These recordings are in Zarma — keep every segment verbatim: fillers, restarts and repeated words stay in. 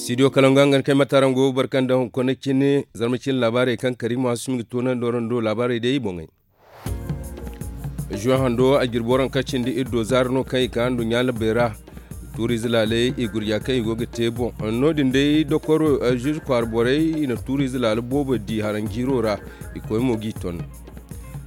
Studio kalangu hangan kay matarango barkan da hunkuna cine zarma cine laabaarey kaŋ kariima hasumi ga toonandi warando laabaarey day i boŋey. Zuwan hando a jirbi waranka cindi iddo zaari no kaŋ i ka nduɲɲa labbey ra. Tuuriize laaley i gurja kaŋ i go ga te boŋ no- din day dokoro zuuze kwaara borey i na tuuriize laala boobo di haranjiiro ra. I koy mo g'i ton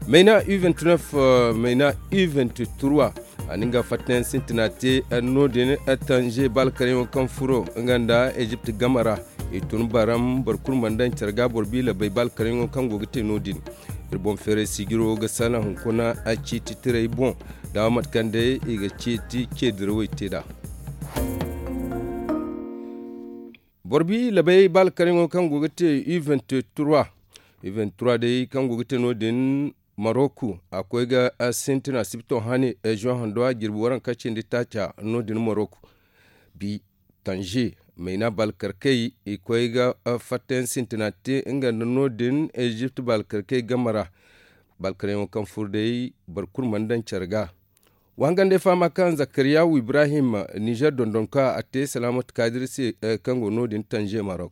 mayna u vingt-neuf, mayna u vingt-trois. A na nga fattayaŋ sintina te no- din. Tanze baalkaryaŋo kaŋ furo nga nda ezipt game ra i tun baram boro kulu mana daŋ care ga boro biila bay baalkaryaŋo kaŋ go ga te no- din. Iri boŋ feeray sijiro ga salaŋ hunkuna ciiti tirey boŋ da mate kaŋ day i ga ciiti ce dirawey te nd'a. Boro biila bay baalkaryaŋo kaŋ go ga te u vingt-trois. U vingt-trois day kaŋ go ga te no- din, marok a koy ga sintina sibito hane zuwan hando a jirbi waranka cindi taaca no- din marok. Bi tanze mayna baalkarkey i koy ga fattayaŋ sintina te nga nda no- din ezipt baalkarkey game ra. Baalkaryaŋo kaŋ furo day boro kulu mana daŋ care ga. Wa hangan day fahama kaŋ zakariyawu ibrahim nizer dondonka a te salaamat kaadir se kaŋ go no- din tanze marok.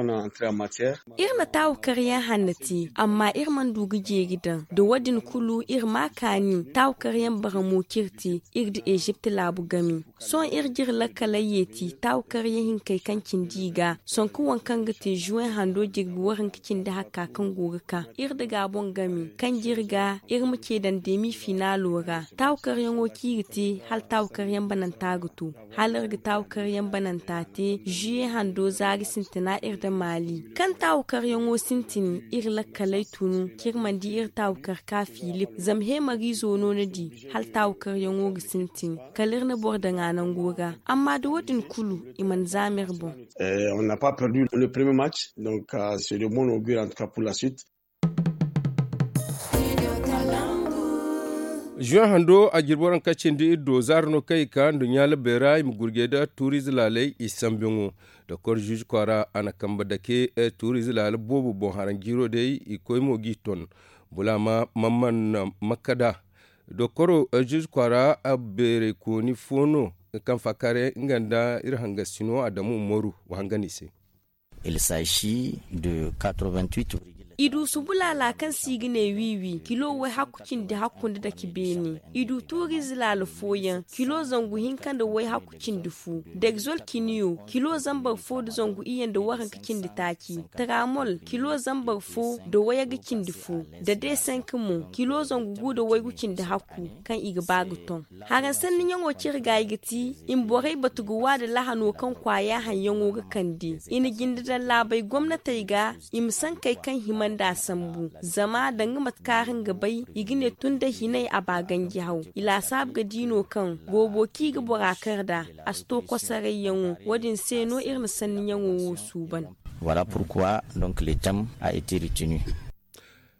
Iri na taawu karyaŋ hanno te amma iri mana du ga jeeri daŋ da wo- din kulu iri ma a kaani taawu karyaŋ baramo kaŋ iri te iri nda ezipt laabu game. Sohõ iri ga iri lakkaley yeeti taawu karyaŋ hinkey kaŋ cindi i ga sonka waŋ kaŋ ga te zuwey hando jirbi waranka cindi hakka kaŋ go ga ka iri nda gaabon game kaŋ jiri ga iri ma ce daŋ demi finaalo ra. Taawu karyaŋo kaŋ i ga te hala taawu karyaŋ bananta ga to hala iri ga taawu karyaŋ bananta te zuye hando zaari sintina iri nda maali kaŋ taawu karyaŋo sintin iri lakkaley tunu kaŋ iri mana di iri taawu kar ka filip zama heemariizo no ni di hala taawu karyaŋo ga sintin kala iri na boro daŋ a nango ra. Amma da wo- din kulu i mana zaama iri boŋ. Zuwan hando a jirbi waranka cindi iri do zaari no kaŋ i ka nduɲɲa labbey ra i ma gurjey nda tuuriize laaley i sambiyaŋo. Doktor zuuze kwaara a na kambe dake tuuriize laala boobo boŋ haranjiiro day i koy mo g'i ton. Bulaama mamman makkada doktor zuuze kwaara beerey kooni fo no kaŋ faakaaray nga nda iri hangasino adamu umaru wa hangan i se. Il s'agit de quatre-vingt-huit. I du subulaala kaŋ se i ga ne wiiwi kilo way hakku cindi hakku nda dake beene. I du tuuriize laala fooyaŋ kilo zangu hinka nda way hakku cindi fo. Degzol kiniyo kilo zambar fo nda zangu iyye nda waranka cindi taaci. Taramol kilo zambar fo nda wayagga cindi fo. Da desenk mo kilo zangu gu nda waygu cindi hakku kaŋ i ga ba ga ton. Haraŋ sanniyaŋo cire ga i ga ti i ma borey batu ga wa nda lahano kaŋ kwaaya haŋyaŋo ga kande. I na jinde daŋ laabey gomnatey ga i ma sankey kaŋ hima nd'a sambu zama danga mate kaŋ araŋ ga bay i ga ne tun da hinay a ba ganji haw. I laasaabu ga di no kaŋ boobo kaŋ i ga bora kar nd'a a si to kosarayyaŋo. Wo- din se no iri na sanniyaŋo wo suuban. Voilà pourquoi donc le thème a été retenu.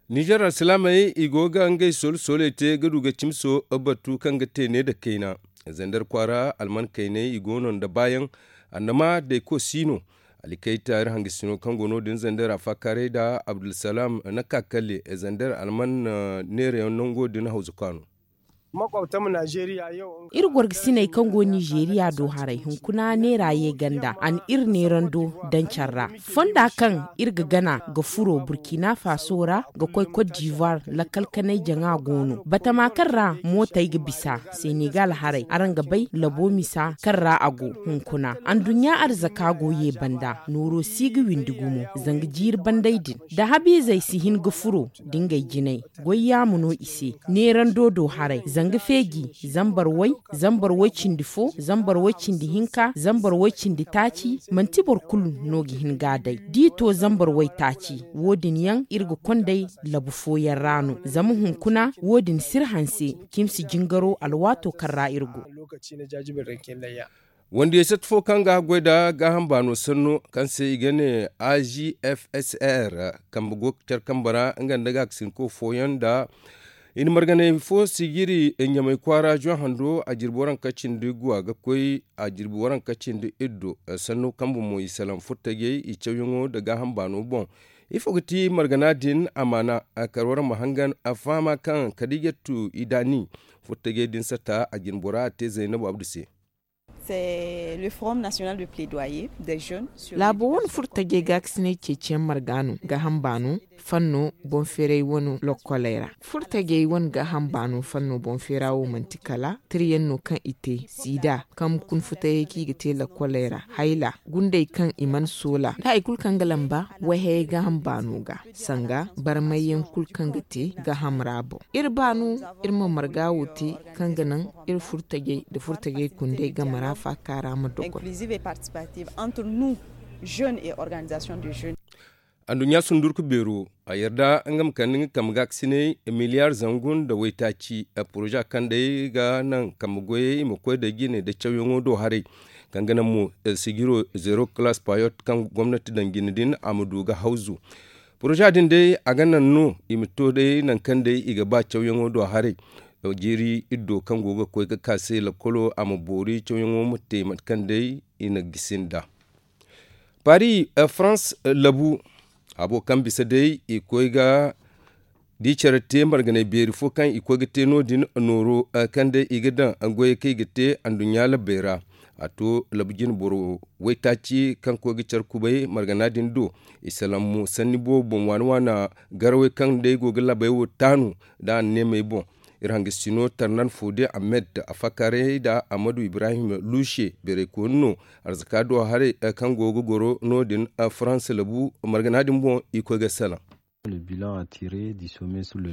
Nizer alsilaamey i go ga ngey soola sooley te ga du ga cimso batu kaŋ ga te ne nda kayna. Zander kwaara alman kayney i go no nda baayaŋ. Annama dayko si no. Alikayta iri hangasino kaŋ go no- din zander a faakaaray nda abdulsalaam na ka kalle zander alman neerayaŋ nango din hawza kwaano. Iri gorgasiney kaŋ go nizeeriya do haray hunkuna neera ye ganda a na iri neerando daŋ care ra. Fonda kaŋ iri ga gana ga furo burkina faso ra ga koy kot divoire lakkal kanay jaŋa go no batama kaŋ ra mootey ga bisa senegal haray araŋ ga bay labo misa kaŋ ra a go. Hunkuna anduɲɲa arzaka go ye banda nooro si ga windi gumo zanga jiiri bandey din da habiizey si hin ga furo da ngey jinay. Goy yaama no i se neerando do haray zanga feeji zambar way zambar way cindi fo zambar way cindi hinka zambar way cindi taaci. Manti boro kulu no ga hin ga a day da i to zambar way taaci wo- din yaŋ iri ga kond'ey labu fooyaŋ ra no zama hunkuna wo- din si iri hanse cimsi jingaro alwaato kaŋ ra iri go. Wandiyey satta fo kaŋ ga goy nda gaaham baano sanno kaŋ se i ga ne a g f s r kambe go ga care kambe ra nga nda gaakasinko fooyaŋ nda i na marganey fo sijiri ɲamay kwaara zuwa hando a jirbi waranka cindi guwa ga koy a jirbi waranka cindi iddo. Sanno kambe mo i salaŋ furtajey i cawyaŋo nda gaaham baano boŋ. Ifo ga ti margana din amaana? Kar waraŋ ma hangan a fahama kaŋ kadijatu idaani furtajey din satta a jirbi bora a te zaynabu abdu se. C'est le forum national de plaidoyer des jeunes sur laabo wane l'éducation furtajey gaakasinay ceeciyaŋ marga no gaaham baano fanno boŋ feeray wane lokkoley ra. Furtajey wane gaaham baano fanno boŋ feera wo manti kala tirayaŋ no kaŋ i te siida kaŋ ma kun futayey kaŋ i ga te lokkoley ra, hayla, gundey kaŋ i mana soola nda hari kulu kaŋ ga lamba wayhayey gaaham baano ga sanga barmayyaŋ kulu kaŋ ga te gaaham ra boŋ. Iri baano iri ma marga wo te kaŋ ga naŋ iri furtajey nda furtajey kundey game ra faaka ra ma dogon. Inclusive et participative entre nous, jeunes et organisations de jeunes. Anduɲɲa sundurku beero a yarda nga ma kande nga kambe gaakasinay miliyar zangu nda waytaaci. Poroza kaŋ day ga naŋ kambe goyey i ma koy da jine nda cawyaŋo do haray kaŋ ga naŋ mo sijiro zero class payot kaŋ gomnati daŋ jine din a ma du ga hawzu. Poroza din day a ga naŋ no i ma to day nangu kaŋ day i ga ba cawyaŋo do haray. Jiiri iddo kaŋ go ga koy ga ka se lakkolo a ma boori cawyaŋo ma te mate kaŋ day i na gisi nd'a. Paris, farans labu habo kaŋ bisa day i koy ga di care te marganay beeri fo kaŋ i koy ga te no- din nooro kaŋ day i ga daŋ goyey kaŋ i ga te anduɲɲa labbey ra. A to labu jine boro waytaaci kaŋ koy ga care kubay margana din do. I salaŋ mo sanni boobo boŋ waana waana garawey kaŋ day go ga laabey wo taanu nda anneemey boŋ. Iri hangasino tarnan fode ahmed afakaray nda ahmadu ibrahim luushe beeraykooni no. Arzaka do haray kaŋ go ga goro no- din farans labu margana din boŋ i koy ga salaŋ.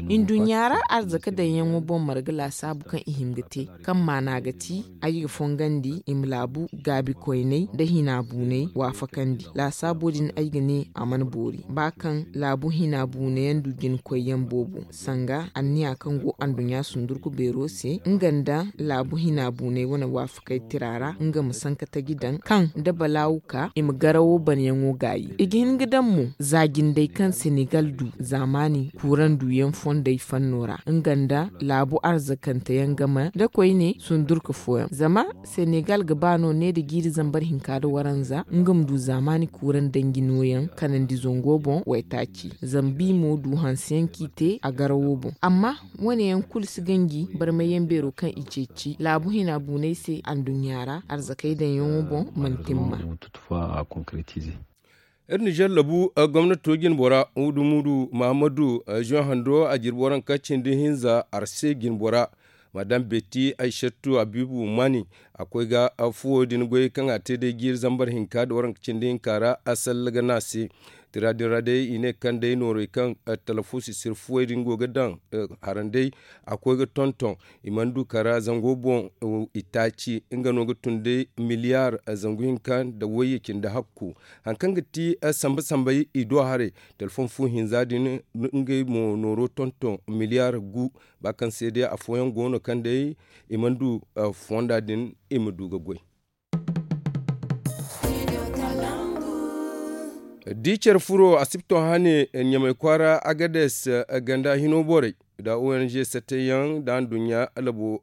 Induɲɲa ra arzaka daŋyaŋo boŋ marga laasaabu kaŋ i hin ga te kaŋ maana ga ti ay ga fongandi i ma laabu gaabikoyney nda hina buuney waafakandi laasaabo din ay ga ne a mana boori ba kaŋ laabu hina buunayaŋ du jinkoyyaŋ boobo sanga anniya kaŋ go anduɲɲa sundurku beero se nga nda laabu hina buuney wane waafakay tira ra nga ma sanka taji daŋ kaŋ da balaawu ka i ma garawo banyaŋo gaayi i ga hin ga daŋ mo za jindey kaŋ senegal du zaamaani kuuraŋ duyaŋ fondey fanno ra nga nda laabu arzakanteyaŋ game nda koyne sundurka fooyaŋ zama senegal ga ba no ne nda jiiri zambar hinka nda waranza nga ma du zaamaani kuuraŋ danji nooyaŋ kanandi zango boŋ waytaaci zama bi mo du hanseyaŋ kaŋ i te a garawo boŋ amma wane yaŋ kulu si ganji barmayyaŋ beero kaŋ i ceeci laabu hina buunay se anduɲɲa ra arzakey daŋyaŋo boŋ mana timma. Iri nizer labu gomnato jinbora mudu mudu mahamadu zuwan hando a jirbi waranka cindi hinza arse jinbora madam beti aysattu abibu mani a koy ga fuwo din goy kaŋ a te day jiiri zambar hinka nda waranka cindi hinka ra a salla ga ne a se. Tira din ra day i ne kaŋ day noorey kaŋ talafo sisir fuwey din go ga daŋ haranday a koy ga tonton i mana du kara zango boŋ. Itaaci nga no ga tun day miliyar zangu hinka nda wayye cindi hakku. Hari kaŋ ga ti samba sambey i do haray telefoŋ fu hinza din ngey mo nooro tonton miliyar gu. Ba kaŋ se day afooyaŋ go no kaŋ day i mana du fonda din i ma du ga goy. Da i care furo asibto hane ɲamay kwaara agades ganda hino borey da ong satayaŋ da anduɲɲa labo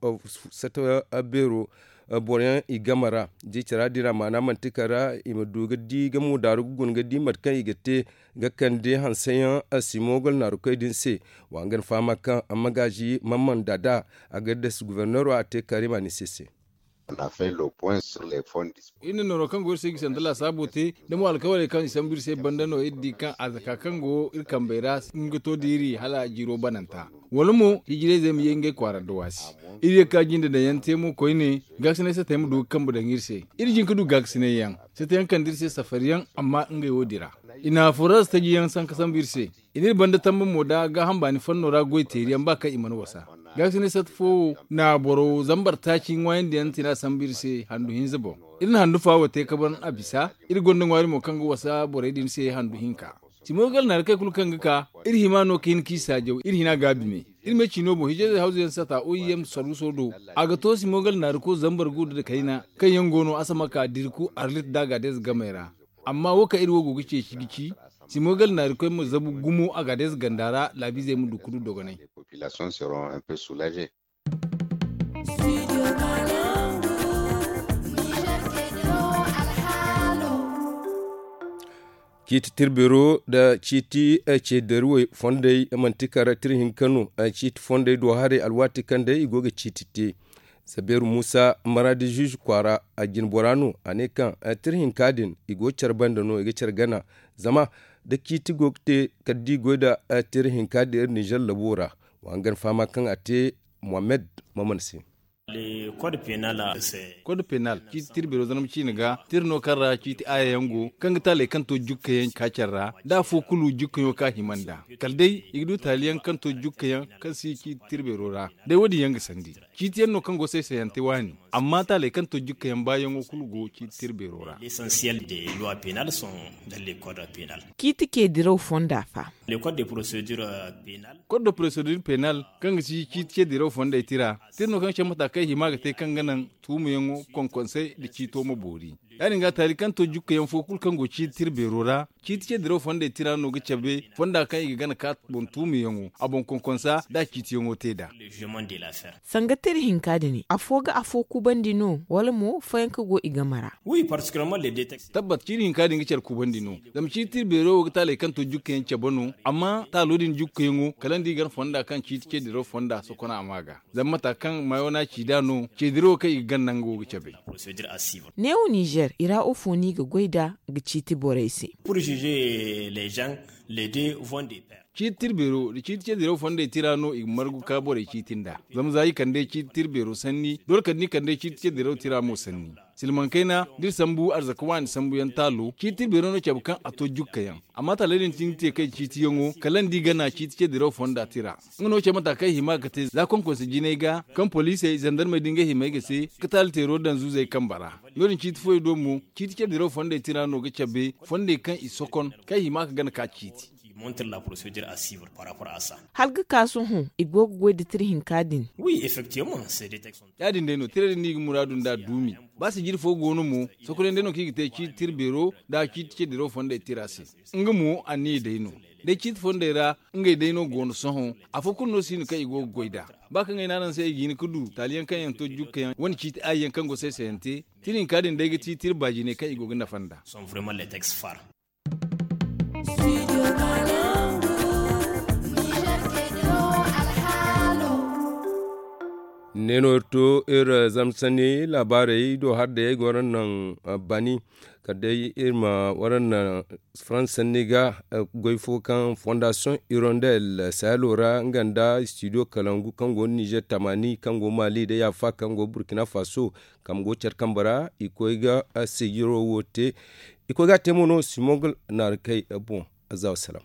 sata beero boroyaŋ i game ra da i care din a maana manti kala i ma du ga di ga mo daaru ga guna ga di mate kaŋ i ga te ga kande hanseyaŋ simogol naarukoy din se. Wa nga ni fahama kaŋ magaazi mamman dada agades guverneero a te karim anise se. Iri na nooro kaŋ go iri se gisa nda laasaabo te da mo alkawaley kaŋ i sambu iri se banda no iri di kaŋ a zaka kaŋ go iri kambey ra nga to da iri hala jiiro bananta wala mo hijirayzey ma ye ngey kwaara da waasi. Iri ye ka jinde daŋ yaŋ te mo koyne gaasinay satey ma du ga kambe daŋ iri se. Iri jin ga du gaasinay yaŋ satey yaŋ kande iri se safari yaŋ amma ngey wo dira i na furaza taji yaŋ sanka sambu iri se. I n'iri banda tamba mo da gaaham baani fanno ra goy teeri yaŋ ba kaŋ i mana wasa. Gaasinay sata fo wo na boro zambar taaci ŋwaayandi yaŋ tina sambu iri se handu hinza boŋ. Iri na handu faawo te kaban a bisa. Iri gonda ŋwaari mo kaŋ ga wasa borey din se handu hinka. Simogal naari kay kulu kaŋ ga ka iri hima no ka hin k'i saajaw iri hina gaabi me. Iri me ciino boŋ hijirayze hawzu yaŋ sata oim saruuso do. A ga to simogal naari ko zambar guuda da kayna kaŋ yaŋ go no asamaka dirku arlit da gaadez gamey ra. Amma wo kaŋ iri wo go ga ceeci ga ci simogal naari koy ma zabu gumo a gaadez ganda ra laabiizey ma du ga du dogonay. Ciiti tirbeero nda ciiti ceedaruwey fondey manti kara tira hinka no. Ciiti fondey do haray alwaati kaŋ day i go ga ciiti te. Sabeeru muusa maradi zuuzu kwaara, a jinbora no a ne kaŋ tira hinka din i go care banda no i ga care gana. Zama da ciiti go ga te kala da i goy nda tira hinka din iri ninzeer labo ra. Wa hangan fahama kaŋ a te muhammed maman se. Kod penal ciiti tira beero zarma ciine ga tira no kaŋ ra ciiti aayayaŋ go kaŋ ga taaley kaŋ to jukkayaŋ ka care ra da afo kulu jukkayaŋo kaŋ a hima nd'a. Kala day i ga du taali yaŋ kaŋ to jukkayaŋ kaŋ si ciiti tira beero ra. Day wo- din yaŋ ga sandi ciiti yaŋ no kaŋ go saysayante waani. Amma taaley kaŋ to jukkayaŋ baayaŋo kulu go ciiti tira beero ra. Ciiti ce diraw fonda fa? Kod da porosedur penal kaŋ ga si ciiti ce diraw fondey tira tira no kaŋ ga care mata kaŋ i hima ga te kaŋ ga naŋ tuumayaŋo konkonsey nda ciito ma boori. Ya- din ga taali kaŋ to jukkayaŋ fo kulu kaŋ go ciiti tira beero ra ciiti ce diraw fondey tira no ga cabe fonda kaŋ i ga gana ka boŋ tuumayaŋo a boŋ konkonsa da a ciitiyaŋo te nd'a. Sanga tira hinka din afo ga afo kubandi no wala mo fooyaŋ kaŋ go i game ra? Tabbat ciiti hinka din ga care kubandi no. Zama ciiti tira beero wo ga taaley kaŋ to jukkayaŋ cabe no. Amma taalo din jukkayaŋo kala nda i gana fonda kaŋ ciiti ce diraw fonda sokona a ma ga. Zama mata kaŋ maayo no a ci nd'a no ce dirawo kaŋ i ga gana nango ga cabe. Neewo ninzeer i ra wo fo no i ga goy nd'a ga ciiti borey se? Ciiti tira beero nda ciiti ce diraw fondey tira no i ga margu ka borey ciiti nd'a. Zama za i kande ciiti tira beero sanni doole kala da i kande ciiti ce diraw tira mo sanni. Silmaŋ kayna da iri sambu arzaka waani sambuyaŋ taalo ciiti tira beero no cabe kaŋ a to jukkayaŋ. Amma taaley din ti ni te kay ciitiyaŋo kala nda i gana ciiti ce diraw fonda tira. Nga no care mata kaŋ i hima ga te za konkonse jinay ga kaŋ poliisey zandarmey da ngey himay ga se ka taali teero daŋ zuuzey kambe ra. No- din ciiti fooyaŋ do mo ciiti ce diraw fondey tira no ga cabe fondey kaŋ i sokon kaŋ i hima ga gana ka ciiti. Hala ga ka sohõ i go ga goy nda tira hinka din? Ya- din day no tira din no i ga muraadu nd'a duumi. Ba sijiri fo go no mo sokoney day no kaŋ i ga te ciiti tira beero nda ciiti ce diraw fondey tira se. Nga mo anniya day no. Day ciiti fondey ra ngey day no go no sohõ. Afo kulu no si no kaŋ i go ga goy nd'a. Ba kaŋ ay ne araŋ se i ga hin ga du taali yaŋ kaŋ yaŋ to jukka yaŋ wane ciiti aayi yaŋ kaŋ go saysayante. Tira hinka din day ga ti tira baajiney kaŋ i go ga nafa nd'a. Ne no iri to iri zamsanni laabaarey do har day ay go waraŋ naŋ bani. Kala day iri ma waraŋ naŋ faransa sanni ga goy fo kaŋ fondasiyoŋ irondel sahelo ra nga nda studio kalangu kaŋ go nizer tamani kaŋ go mali day afa kaŋ go burkina faso kaŋ go care kambe ra i koy ga sijiro wo te. I koy ga a te mo no simon ga naari kay boŋ. Azza wassalam.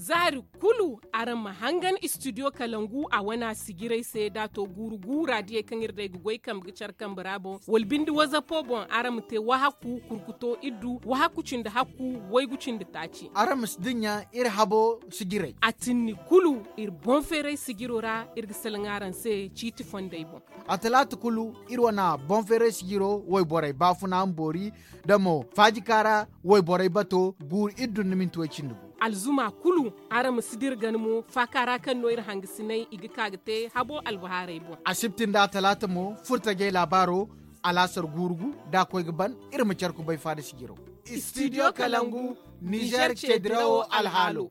Zaari kulu araŋ ma hangan studio kalangu a wana sijiray se da to guuru guura diyey kaŋ iri day ga goy kambe ga care kambe ra boŋ wala binde wazapo boŋ araŋ ma te wahaku kurkuto iddu wahaku cindi hakku waygu cindi taaci. Araŋ ma si dinya iri habo sijiray. A tinni kulu iri boŋ feeray sijiro ra iri ga salaŋ araŋ se ciiti fondey boŋ. A talaata kulu iri wana boŋ feeray sijiro wayborey baafuna ma boori da mo faajika ra wayborey bato guuru iri dun na minti way cindi gu. Alzuma kulu araŋ ma si dira gana mo faaka ra kaŋ no iri hangasinay i ga ka ga te habo albahaarey boŋ. Asibti nda talaata mo furtajey laabaaro alaasar guuru gu da a koy ga ban iri ma care kubay faada sijiro. Studio kalangu nizer ceedirawo alhaalo.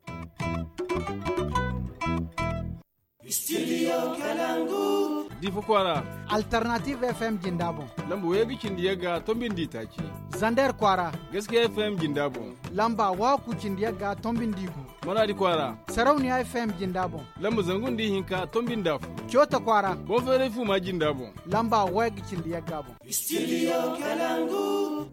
Studio kalangu. Difa kwaara. Alternative fm jinda boŋ. Lamba wayga cindi yagga tombin di taaci. Zander kwaara. Gaskiya fm jinda boŋ. Lamba waku cindi yagga tombin di gu. Maradi kwaara. Sarauniya fm jinda boŋ. Lamba zangun di hinka tombin da fu. Cota kwaara. Boŋ feeray fu ma jinda boŋ. Lamba wayga cindi yagga boŋ. Studio kalangu.